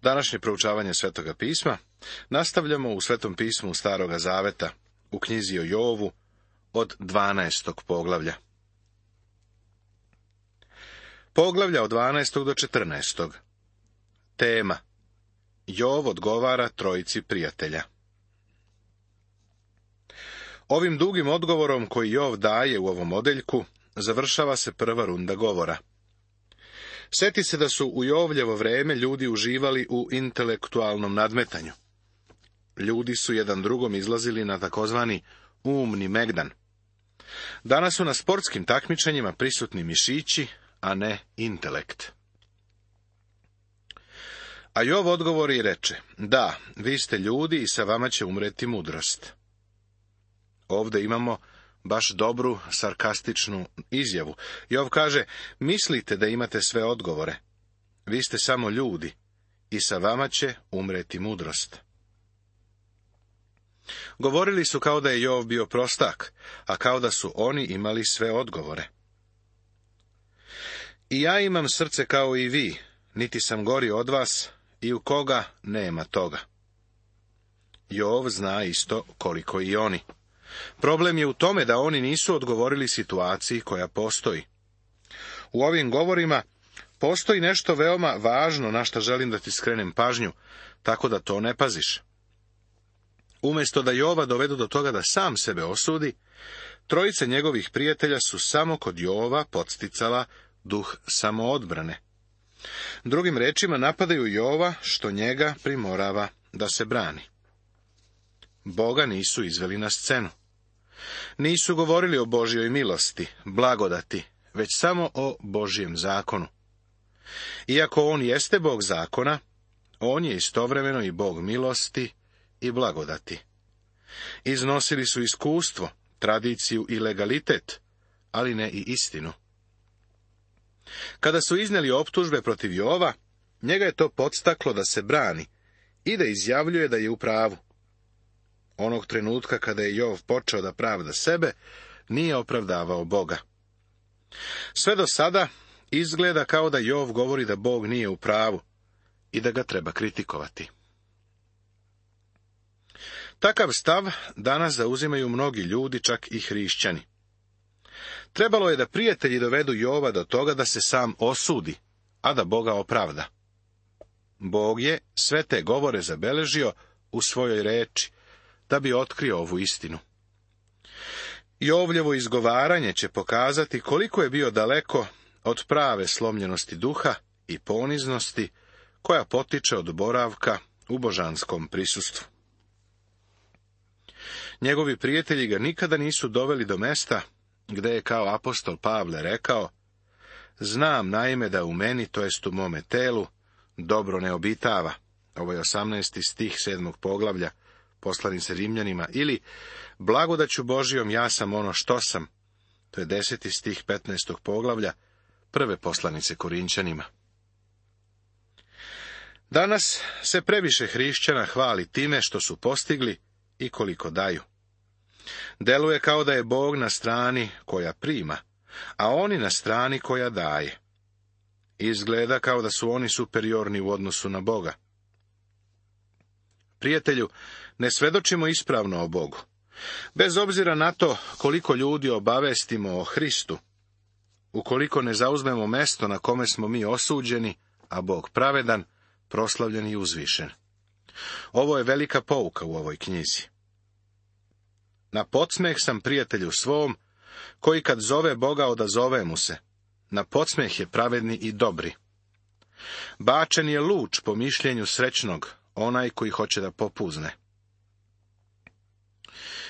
Današnje proučavanje Svetoga pisma nastavljamo u Svetom pismu Staroga zaveta, u knjizi o Jovu, od 12. poglavlja. Poglavlja od 12. do 14. Tema: Jov odgovara trojici prijatelja. Ovim dugim odgovorom koji Jov daje u ovom odeljku završava se prva runda govora. Sjeti se da su u Jovljevo vreme ljudi uživali u intelektualnom nadmetanju. Ljudi su jedan drugom izlazili na takozvani umni megdan. Danas su na sportskim takmičenjima prisutni mišići, a ne intelekt. A Jov odgovori i reče: da, vi ste ljudi i sa vama će umreti mudrost. Ovdje imamo baš dobru, sarkastičnu izjavu. Jov kaže: mislite da imate sve odgovore. Vi ste samo ljudi i sa vama će umreti mudrost. Govorili su kao da je Jov bio prostak, a kao da su oni imali sve odgovore. I ja imam srce kao i vi, niti sam gori od vas, i u koga nema toga. Jov zna isto koliko i oni. Problem je u tome da oni nisu odgovorili situaciji koja postoji. U ovim govorima postoji nešto veoma važno na što želim da ti skrenem pažnju, tako da to ne paziš. Umjesto da Jova dovedu do toga da sam sebe osudi, trojice njegovih prijatelja su samo kod Jova podsticala duh samoodbrane. Drugim rečima, napadaju Jova, što njega primorava da se brani. Boga nisu izveli na scenu. Nisu govorili o Božjoj milosti, blagodati, već samo o Božjem zakonu. Iako on jeste Bog zakona, on je istovremeno i Bog milosti i blagodati. Iznosili su iskustvo, tradiciju i legalitet, ali ne i istinu. Kada su iznijeli optužbe protiv Jova, njega je to podstaklo da se brani i da izjavljuje da je u pravu. Onog trenutka kada je Jov počeo da pravda sebe, nije opravdavao Boga. Sve do sada izgleda kao da Jov govori da Bog nije u pravu i da ga treba kritikovati. Takav stav danas zauzimaju mnogi ljudi, čak i hrišćani. Trebalo je da prijatelji dovedu Jova do toga da se sam osudi, a da Boga opravda. Bog je sve te govore zabeležio u svojoj reči, da bi otkrio ovu istinu. Jovljevo izgovaranje će pokazati koliko je bio daleko od prave slomljenosti duha i poniznosti koja potiče od boravka u božanskom prisustvu. Njegovi prijatelji ga nikada nisu doveli do mesta gde je kao apostol Pavle rekao: znam naime da u meni, to jest u mome telu, dobro ne obitava. Ovo je 18. stih 7. poglavlja poslanice Rimljanima, ili blagodaću Božijom ja sam ono što sam. To je 10. stih 15. poglavlja prve poslanice Korinćanima. Danas se previše hrišćana hvali time što su postigli i koliko daju. Deluje kao da je Bog na strani koja prima, a oni na strani koja daje. Izgleda kao da su oni superiorni u odnosu na Boga. Prijatelju, ne svedočimo ispravno o Bogu. Bez obzira na to koliko ljudi obavestimo o Hristu, ukoliko ne zauzmemo mesto na kome smo mi osuđeni, a Bog pravedan, proslavljen i uzvišen. Ovo je velika pouka u ovoj knjizi. Na podsmeh sam prijatelju svom, koji kad zove Boga odazove mu se. Na podsmeh je pravedni i dobri. Bačen je luč po mišljenju srećnog, onaj koji hoće da popuzne.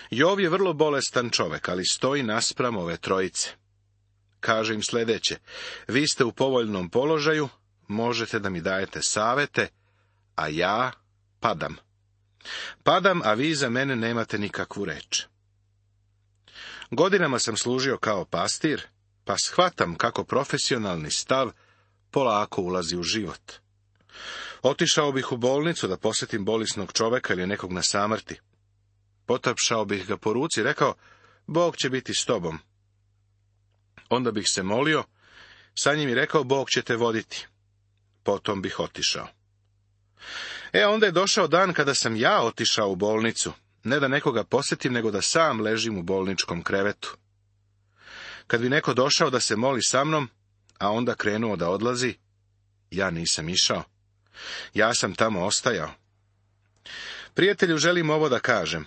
Jov je vrlo bolestan čovek, ali stoji naspram ove trojice. Kaže im sljedeće: vi ste u povoljnom položaju, možete da mi dajete savete, a ja padam. Padam, a vi za mene nemate nikakvu reč. Godinama sam služio kao pastir, pa shvatam kako profesionalni stav polako ulazi u život. Otišao bih u bolnicu da posjetim bolesnog čoveka ili nekog na samrti. Potapšao bih ga po ruci i rekao: Bog će biti s tobom. Onda bih se molio, sa njim i rekao: Bog će te voditi. Potom bih otišao. Onda je došao dan kada sam ja otišao u bolnicu, ne da nekoga posjetim, nego da sam ležim u bolničkom krevetu. Kad bi neko došao da se moli sa mnom, a onda krenuo da odlazi, ja nisam išao. Ja sam tamo ostajao. Prijatelju, želim ovo da kažem.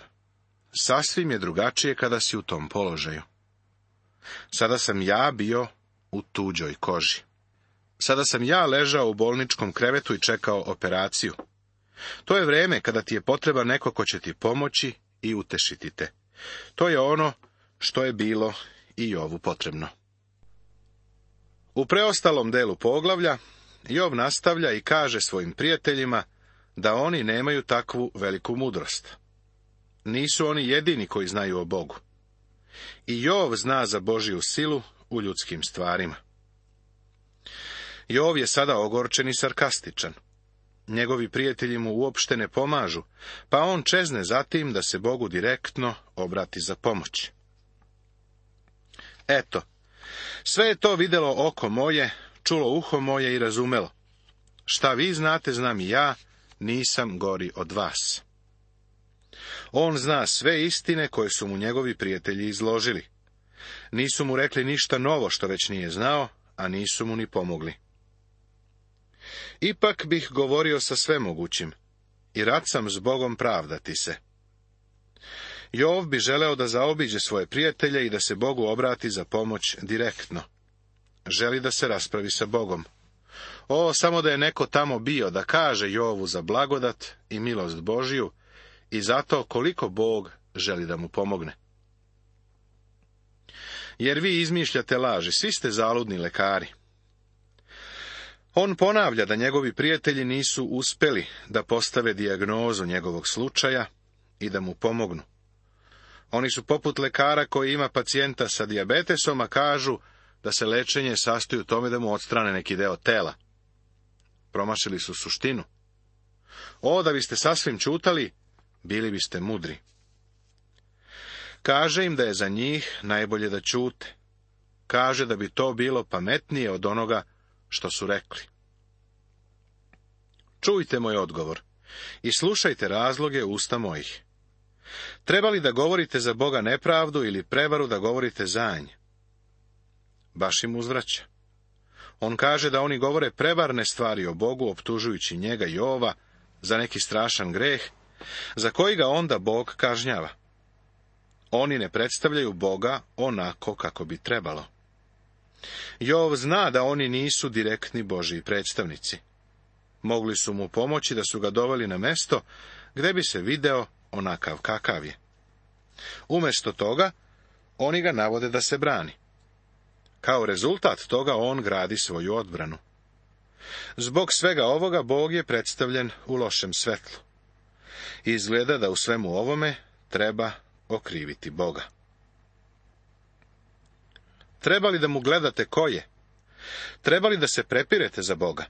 Sasvim je drugačije kada si u tom položaju. Sada sam ja bio u tuđoj koži. Sada sam ja ležao u bolničkom krevetu i čekao operaciju. To je vrijeme kada ti je potreban neko ko će ti pomoći i utešiti te. To je ono što je bilo i Jovu potrebno. U preostalom delu poglavlja Jov nastavlja i kaže svojim prijateljima da oni nemaju takvu veliku mudrost. Nisu oni jedini koji znaju o Bogu. I Jov zna za Božju silu u ljudskim stvarima. Jov je sada ogorčen i sarkastičan. Njegovi prijatelji mu uopšte ne pomažu, pa on čezne zatim da se Bogu direktno obrati za pomoć. Eto, sve je to vidjelo oko moje, čulo uho moje i razumelo. Šta vi znate, znam i ja, nisam gori od vas. On zna sve istine koje su mu njegovi prijatelji izložili. Nisu mu rekli ništa novo što već nije znao, a nisu mu ni pomogli. Ipak bih govorio sa svemogućim i rad sam s Bogom pravdati se. Jov bi želeo da zaobiđe svoje prijatelje i da se Bogu obrati za pomoć direktno. Želi da se raspravi sa Bogom. Samo da je neko tamo bio da kaže Jovu za blagodat i milost Božju i zato koliko Bog želi da mu pomogne. Jer vi izmišljate laži, svi ste zaludni lekari. On ponavlja da njegovi prijatelji nisu uspjeli da postave dijagnozu njegovog slučaja i da mu pomognu. Oni su poput lekara koji ima pacijenta sa dijabetesom, a kažu da se lečenje sastoji u tome da mu odstrane neki deo tela. Promašili su suštinu. Da biste sasvim čutali, bili biste mudri. Kaže im da je za njih najbolje da ćute. Kaže da bi to bilo pametnije od onoga što su rekli. Čujte moj odgovor i slušajte razloge usta mojih. Treba li da govorite za Boga nepravdu ili prevaru da govorite za nj? Baš im uzvraća. On kaže da oni govore prevarne stvari o Bogu, optužujući njega Jova za neki strašan greh, za koji ga onda Bog kažnjava. Oni ne predstavljaju Boga onako kako bi trebalo. Jov zna da oni nisu direktni Božji predstavnici. Mogli su mu pomoći da su ga doveli na mesto gdje bi se video onakav kakav je. Umjesto toga, oni ga navode da se brani. Kao rezultat toga on gradi svoju odbranu. Zbog svega ovoga Bog je predstavljen u lošem svetlu. Izgleda da u svemu ovome treba okriviti Boga. Treba li da mu gledate ko je? Treba li da se prepirete za Boga?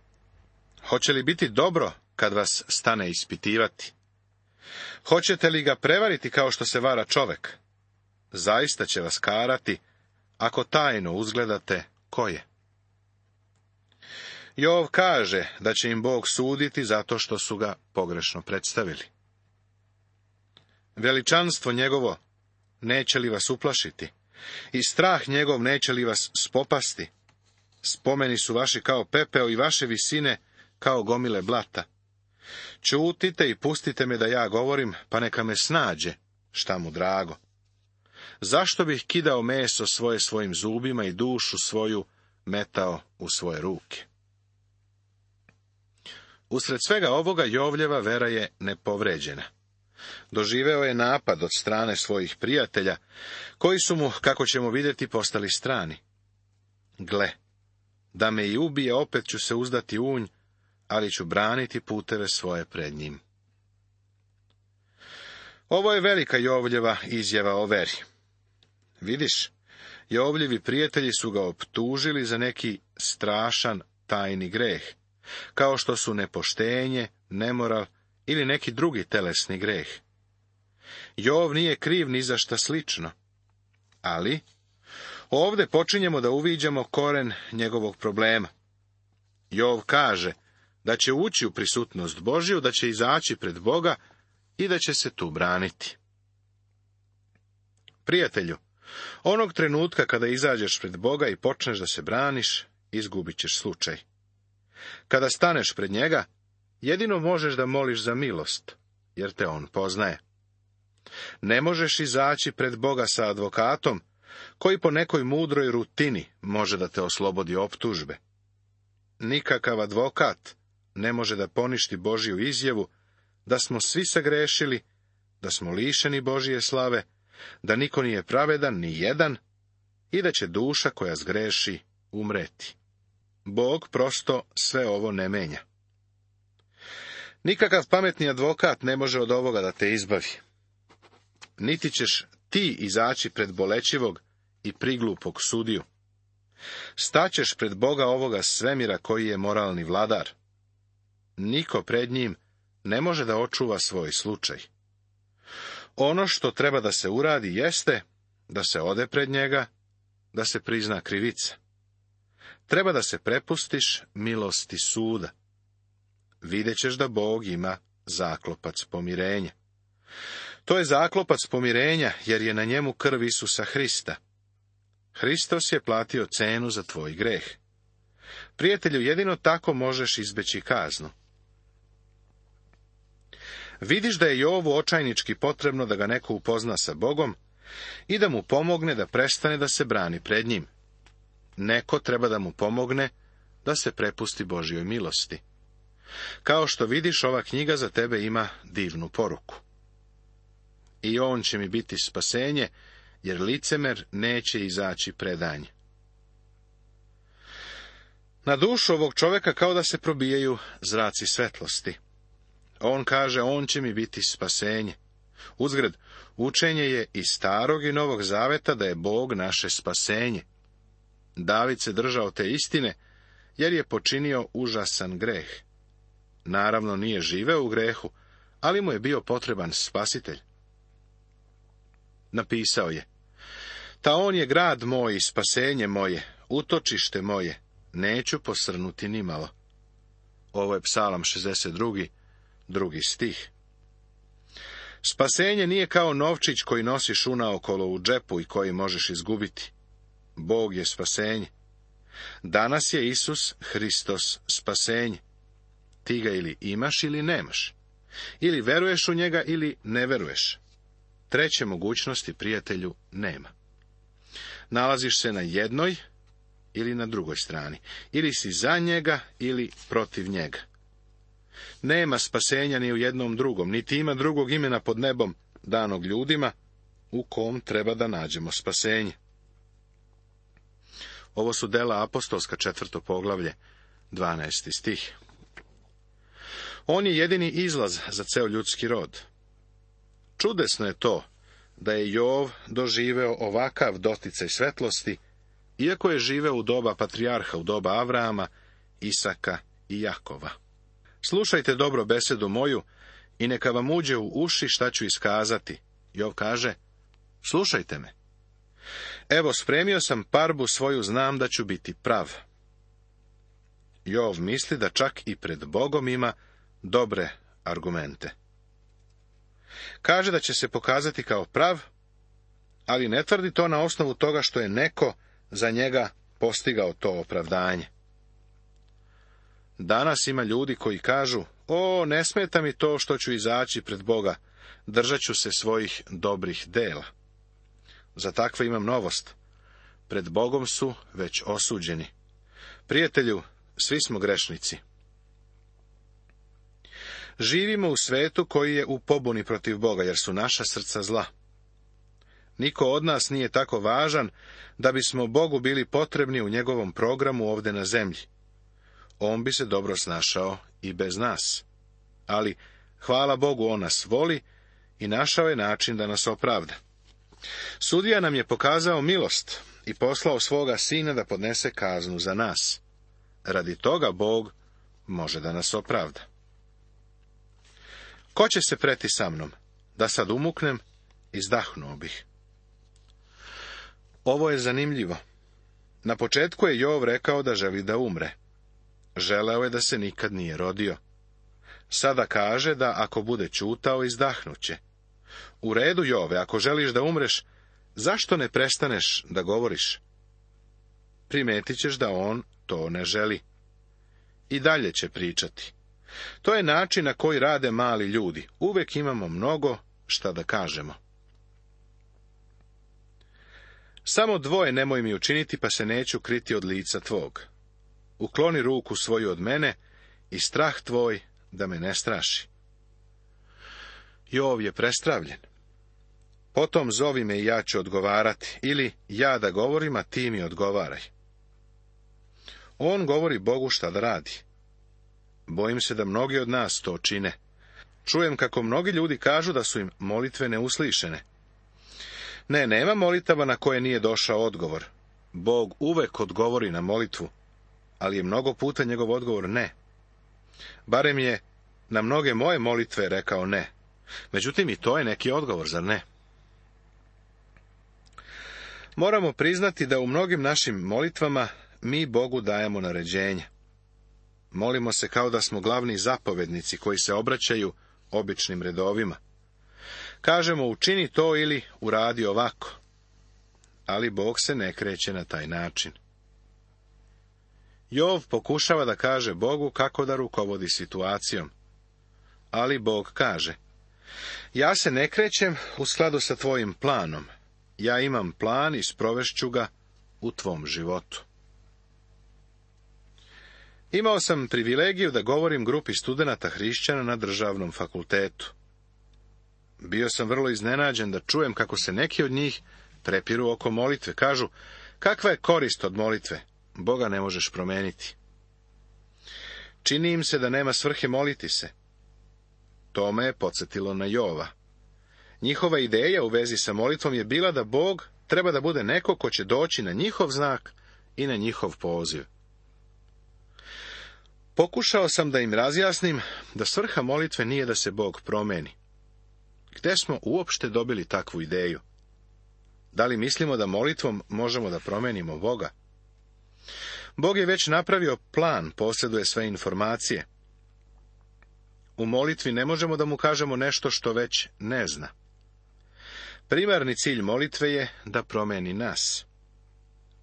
Hoće li biti dobro kad vas stane ispitivati? Hoćete li ga prevariti kao što se vara čovek? Zaista će vas karati ako tajno uzgledate ko je. Jov kaže da će im Bog suditi zato što su ga pogrešno predstavili. Veličanstvo njegovo neće li vas uplašiti? I strah njegov neće li vas spopasti? Spomeni su vaši kao pepeo i vaše visine kao gomile blata. Ćutite i pustite me da ja govorim, pa neka me snađe šta mu drago. Zašto bih kidao meso svoje svojim zubima i dušu svoju metao u svoje ruke? Usred svega ovoga Jovljeva vera je nepovređena. Doživeo je napad od strane svojih prijatelja, koji su mu, kako ćemo vidjeti, postali strani. Gle, da me i ubije, opet ću se uzdati u nj, ali ću braniti puteve svoje pred njim. Ovo je velika Jovljeva izjava o veri. Vidiš, Jovljevi prijatelji su ga optužili za neki strašan tajni greh, kao što su nepoštenje, nemoral ili neki drugi telesni greh. Jov nije kriv ni za šta slično, ali ovdje počinjemo da uviđamo koren njegovog problema. Jov kaže da će ući u prisutnost Božju, da će izaći pred Boga i da će se tu braniti. Prijatelju, onog trenutka kada izađeš pred Boga i počneš da se braniš, izgubit ćeš slučaj. Kada staneš pred njega, jedino možeš da moliš za milost, jer te on poznaje. Ne možeš izaći pred Boga sa advokatom, koji po nekoj mudroj rutini može da te oslobodi optužbe. Nikakav advokat ne može da poništi Božju izjavu da smo svi sagrešili, da smo lišeni Božje slave, da niko nije pravedan, ni jedan, i da će duša koja zgreši umreti. Bog prosto sve ovo ne menja. Nikakav pametni advokat ne može od ovoga da te izbavi. Niti ćeš ti izaći pred bolećivog i priglupog sudiju. Staćeš pred Boga ovoga svemira koji je moralni vladar. Niko pred njim ne može da očuva svoj slučaj. Ono što treba da se uradi jeste da se ode pred njega, da se prizna krivica. Treba da se prepustiš milosti suda. Vidjet ćeš da Bog ima zaklopac pomirenja. To je zaklopac pomirenja, jer je na njemu krv Isusa Hrista. Hristos je platio cenu za tvoj greh. Prijatelju, jedino tako možeš izbeći kaznu. Vidiš da je Jovu očajnički potrebno da ga neko upozna sa Bogom i da mu pomogne da prestane da se brani pred njim. Neko treba da mu pomogne da se prepusti Božjoj milosti. Kao što vidiš, ova knjiga za tebe ima divnu poruku. I on će mi biti spasenje, jer licemer neće izaći predanje. Na dušu ovog čoveka kao da se probijaju zraci svetlosti. On kaže, on će mi biti spasenje. Uzgred, učenje je iz Starog i Novog Zaveta da je Bog naše spasenje. David se držao te istine, jer je počinio užasan greh. Naravno, nije živeo u grehu, ali mu je bio potreban spasitelj. Napisao je, ta on je grad moj i spasenje moje, utočište moje, neću posrnuti nimalo. Ovo je Psalam 62, 2. stih. Spasenje nije kao novčić koji nosiš unaokolo u džepu i koji možeš izgubiti. Bog je spasenje. Danas je Isus Hristos spasenje. Ti ga ili imaš ili nemaš. Ili veruješ u njega ili ne veruješ. Treće mogućnosti, prijatelju, nema. Nalaziš se na jednoj ili na drugoj strani. Ili si za njega ili protiv njega. Nema spasenja ni u jednom drugom, niti ima drugog imena pod nebom danog ljudima u kom treba da nađemo spasenje. Ovo su Dela apostolska 4. poglavlje, 12. stih. On je jedini izlaz za ceo ljudski rod. Čudesno je to da je Jov doživeo ovakav doticaj svetlosti, iako je živeo u doba patrijarha, u doba Avrama, Isaka i Jakova. Slušajte dobro besedu moju i neka vam uđe u uši šta ću iskazati. Jov kaže, slušajte me. Evo, spremio sam parbu svoju, znam da ću biti prav. Jov misli da čak i pred Bogom ima dobre argumente. Kaže da će se pokazati kao prav, ali ne tvrdi to na osnovu toga što je neko za njega postigao to opravdanje. Danas ima ljudi koji kažu, ne smeta mi to što ću izaći pred Boga, držat ću se svojih dobrih dela. Za takve imam novost. Pred Bogom su već osuđeni. Prijatelju, svi smo grešnici. Živimo u svetu koji je u pobuni protiv Boga, jer su naša srca zla. Niko od nas nije tako važan da bismo Bogu bili potrebni u njegovom programu ovde na zemlji. On bi se dobro snašao i bez nas. Ali, hvala Bogu, on nas voli i našao je način da nas opravda. Sudija nam je pokazao milost i poslao svoga sina da podnese kaznu za nas. Radi toga Bog može da nas opravda. Ko će se preti sa mnom? Da sad umuknem, izdahnuo bih. Ovo je zanimljivo. Na početku je Jov rekao da želi da umre. Želeo je da se nikad nije rodio. Sada kaže da ako bude ćutao, izdahnuće. U redu, Jove, ako želiš da umreš, zašto ne prestaneš da govoriš? Primetit ćeš da on to ne želi. I dalje će pričati. To je način na koji rade mali ljudi. Uvek imamo mnogo šta da kažemo. Samo dvoje nemoj mi učiniti, pa se neću kriti od lica tvog. Ukloni ruku svoju od mene i strah tvoj da me ne straši. Jov je prestravljen. Potom zovi me i ja ću odgovarati, ili ja da govorim, a ti mi odgovaraj. On govori Bogu šta da radi. Bojim se da mnogi od nas to čine. Čujem kako mnogi ljudi kažu da su im molitve neuslišene. Ne, nema molitava na koje nije došao odgovor. Bog uvek odgovori na molitvu, ali je mnogo puta njegov odgovor ne. Barem je na mnoge moje molitve rekao ne. Međutim, i to je neki odgovor, zar ne? Moramo priznati da u mnogim našim molitvama mi Bogu dajemo naređenja. Molimo se kao da smo glavni zapovednici koji se obraćaju običnim redovima. Kažemo učini to ili uradi ovako. Ali Bog se ne kreće na taj način. Jov pokušava da kaže Bogu kako da rukovodi situacijom. Ali Bog kaže: ja se ne krećem u skladu sa tvojim planom. Ja imam plan i sprovešću ga u tvom životu. Imao sam privilegiju da govorim grupi studenata hrišćana na državnom fakultetu. Bio sam vrlo iznenađen da čujem kako se neki od njih prepiru oko molitve. Kažu: kakva je korist od molitve? Boga ne možeš promeniti. Čini im se da nema svrhe moliti se. To me je podsjetilo na Jova. Njihova ideja u vezi sa molitvom je bila da Bog treba da bude neko ko će doći na njihov znak i na njihov poziv. Pokušao sam da im razjasnim da svrha molitve nije da se Bog promeni. Gde smo uopšte dobili takvu ideju? Da li mislimo da molitvom možemo da promenimo Boga? Bog je već napravio plan, posjeduje sve informacije. U molitvi ne možemo da mu kažemo nešto što već ne zna. Primarni cilj molitve je da promeni nas.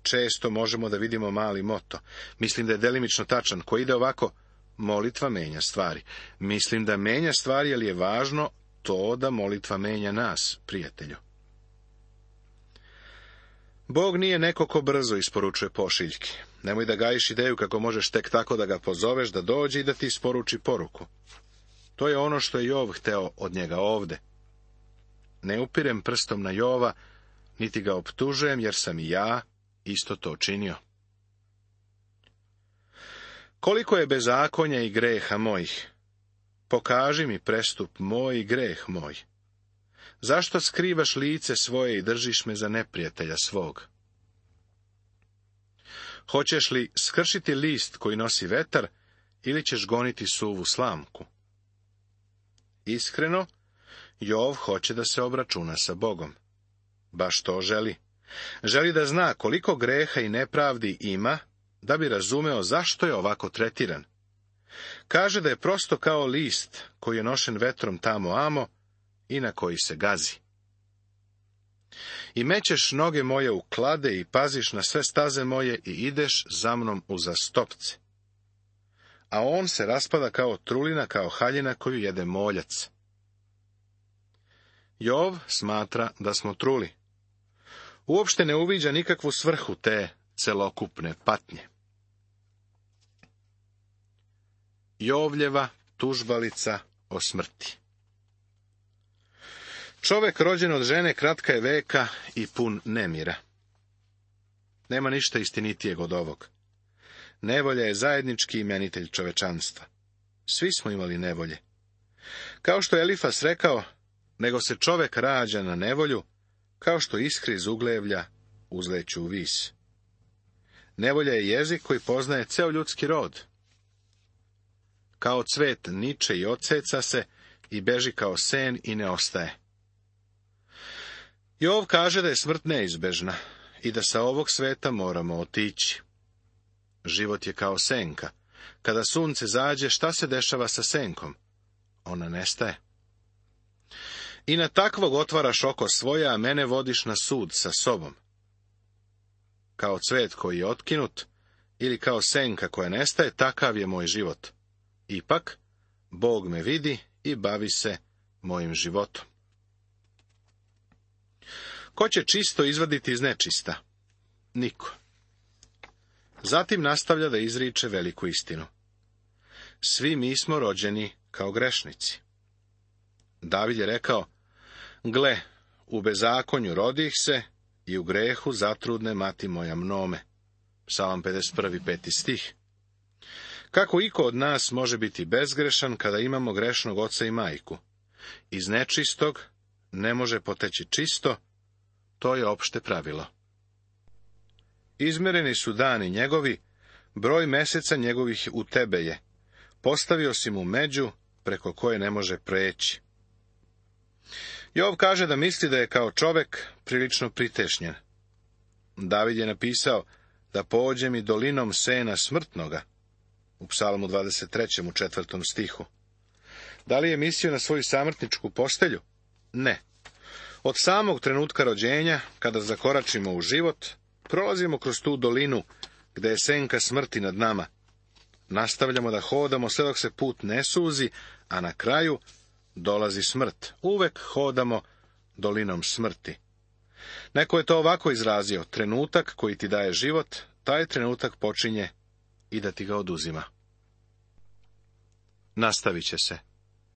Često možemo da vidimo mali moto. Mislim da je delimično tačan, koji ide ovako: molitva menja stvari. Mislim da menja stvari, ali je važno to da molitva menja nas, prijatelju. Bog nije neko ko brzo isporučuje pošiljke. Nemoj da gajiš ideju kako možeš tek tako da ga pozoveš da dođe i da ti isporuči poruku. To je ono što je Jov hteo od njega ovde. Ne upirem prstom na Jova, niti ga optužujem, jer sam i ja isto to činio. Koliko je bezakonja i greha mojih? Pokaži mi prestup moj i greh moj. Zašto skrivaš lice svoje i držiš me za neprijatelja svog? Hoćeš li skršiti list koji nosi vetar, ili ćeš goniti suvu slamku? Iskreno, Jov hoće da se obračuna sa Bogom. Baš to želi. Želi da zna koliko greha i nepravdi ima, da bi razumeo zašto je ovako tretiran. Kaže da je prosto kao list koji je nošen vetrom tamo amo i na koji se gazi. I mećeš noge moje u klade i paziš na sve staze moje i ideš za mnom uza stopce. A on se raspada kao trulina, kao haljina koju jede moljac. Jov smatra da smo truli. Uopšte ne uviđa nikakvu svrhu te celokupne patnje. Jovljeva tužbalica o smrti. Čovek rođen od žene kratka je veka i pun nemira. Nema ništa istinitijeg od ovog. Nevolja je zajednički imenitelj čovečanstva. Svi smo imali nevolje. Kao što je Elifas rekao, nego se čovek rađa na nevolju, kao što iskri iz uglevlja uzleću u vis. Nevolja je jezik koji poznaje ceo ljudski rod. Kao cvet niče i odseca se i beži kao sen i ne ostaje. Jov kaže da je smrt neizbežna i da sa ovog sveta moramo otići. Život je kao senka. Kada sunce zađe, šta se dešava sa senkom? Ona nestaje. I na takvog otvaraš oko svoje, a mene vodiš na sud sa sobom. Kao cvet koji je otkinut, ili kao senka koja nestaje, takav je moj život. Ipak, Bog me vidi i bavi se mojim životom. Ko će čisto izvaditi iz nečista? Niko. Zatim nastavlja da izriče veliku istinu. Svi mi smo rođeni kao grešnici. David je rekao, gle, u bezakonju rodih se i u grehu zatrudne mati moja mnome. Psalam 51. 5. stih. Kako iko od nas može biti bezgrešan kada imamo grešnog oca i majku? Iz nečistog ne može poteći čisto, to je opšte pravilo. Izmereni su dani njegovi, broj meseca njegovih u tebe je. Postavio si mu među, preko koje ne može preći. Jov kaže da misli da je kao čovek prilično pritešnjen. David je napisao da pođe mi dolinom sena smrtnoga, u Psalmu 23. u 4. stihu. Da li je mislio na svoju samrtničku postelju? Ne. Od samog trenutka rođenja, kada zakoračimo u život, prolazimo kroz tu dolinu, gde je senka smrti nad nama. Nastavljamo da hodamo sve dok se put ne suzi, a na kraju dolazi smrt. Uvek hodamo dolinom smrti. Neko je to ovako izrazio, trenutak koji ti daje život, taj trenutak počinje i da ti ga oduzima. Nastavit će se.